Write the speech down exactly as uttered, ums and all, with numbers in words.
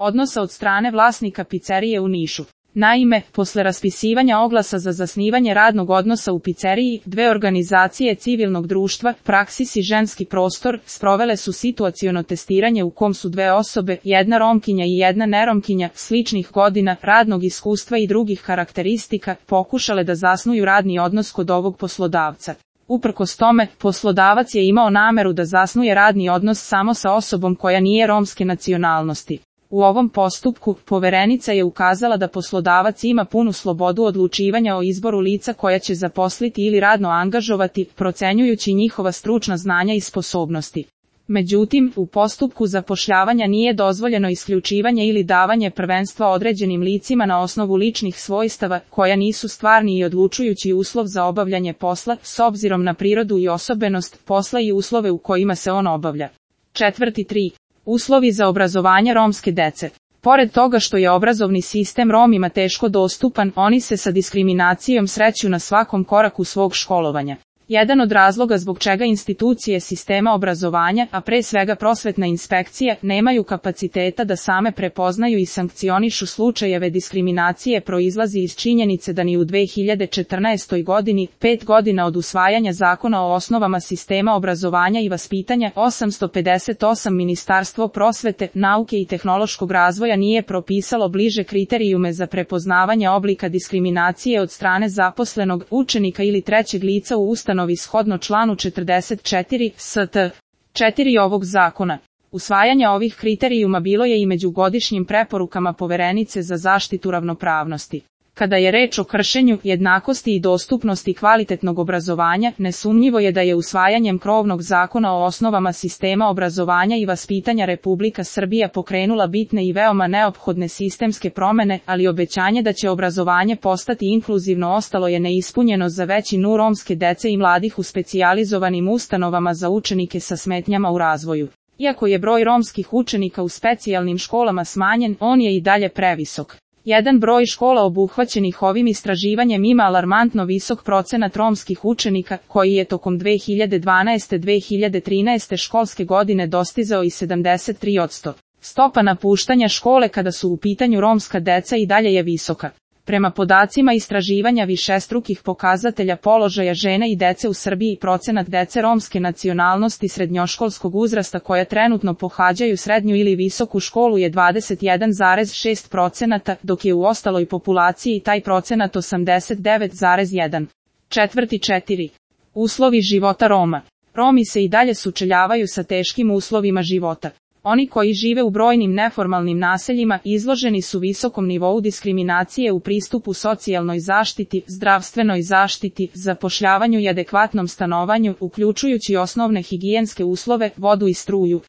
odnosa od strane vlasnika pizzerije u Nišu. Naime, posle raspisivanja oglasa za zasnivanje radnog odnosa u pizzeriji, dve organizacije civilnog društva, Praksis i Ženski prostor, sprovele su situaciono testiranje u kom su dve osobe, jedna Romkinja i jedna neromkinja, sličnih godina, radnog iskustva i drugih karakteristika, pokušale da zasnuju radni odnos kod ovog poslodavca. Uprkos tome, poslodavac je imao nameru da zasnuje radni odnos samo sa osobom koja nije romske nacionalnosti. U ovom postupku, poverenica je ukazala da poslodavac ima punu slobodu odlučivanja o izboru lica koja će zaposliti ili radno angažovati, procenjujući njihova stručna znanja i sposobnosti. Međutim, u postupku zapošljavanja nije dozvoljeno isključivanje ili davanje prvenstva određenim licima na osnovu ličnih svojstava, koja nisu stvarni i odlučujući uslov za obavljanje posla, s obzirom na prirodu i osobenost posla i uslove u kojima se on obavlja. Četvrti tri. Uslovi za obrazovanje romske dece. Pored toga što je obrazovni sistem Romima teško dostupan, oni se sa diskriminacijom sreću na svakom koraku svog školovanja. Jedan od razloga zbog čega institucije sistema obrazovanja, a pre svega prosvetna inspekcija, nemaju kapaciteta da same prepoznaju i sankcionišu slučajeve diskriminacije proizlazi iz činjenice da ni u dve hiljade četrnaestoj godini, pet godina od usvajanja zakona o osnovama sistema obrazovanja i vaspitanja, osamsto pedeset osam Ministarstvo prosvete, nauke i tehnološkog razvoja nije propisalo bliže kriterijume za prepoznavanje oblika diskriminacije od strane zaposlenog, učenika ili trećeg lica u ustanovi shodno članu četrdeset četiri st. četiri ovog zakona. Usvajanje ovih kriterijuma bilo je i među godišnjim preporukama Poverenice za zaštitu ravnopravnosti. Kada je reč o kršenju jednakosti i dostupnosti kvalitetnog obrazovanja, nesumnjivo je da je usvajanjem krovnog zakona o osnovama sistema obrazovanja i vaspitanja Republika Srbija pokrenula bitne i veoma neophodne sistemske promene, ali obećanje da će obrazovanje postati inkluzivno ostalo je neispunjeno za većinu romske dece i mladih u specijalizovanim ustanovama za učenike sa smetnjama u razvoju. Iako je broj romskih učenika u specijalnim školama smanjen, on je i dalje previsok. Jedan broj škola obuhvaćenih ovim istraživanjem ima alarmantno visok procenat romskih učenika, koji je tokom dve hiljade dvanaeste do dve hiljade trinaeste školske godine dostizao i sedamdeset tri posto. Stopa napuštanja škole kada su u pitanju romska deca i dalje je visoka. Prema podacima istraživanja višestrukih pokazatelja položaja žene i dece u Srbiji, procenat dece romske nacionalnosti srednjoškolskog uzrasta koja trenutno pohađaju srednju ili visoku školu je dvadeset jedan zarez šest posto, dok je u ostaloj populaciji taj procenat osamdeset devet zarez jedan. Četvrti četiri. Uslovi života Roma. Romi se i dalje sučeljavaju sa teškim uslovima života. Oni koji žive u brojnim neformalnim naseljima izloženi su visokom nivou diskriminacije u pristupu socijalnoj zaštiti, zdravstvenoj zaštiti, zapošljavanju i adekvatnom stanovanju, uključujući osnovne higijenske uslove, vodu i struju.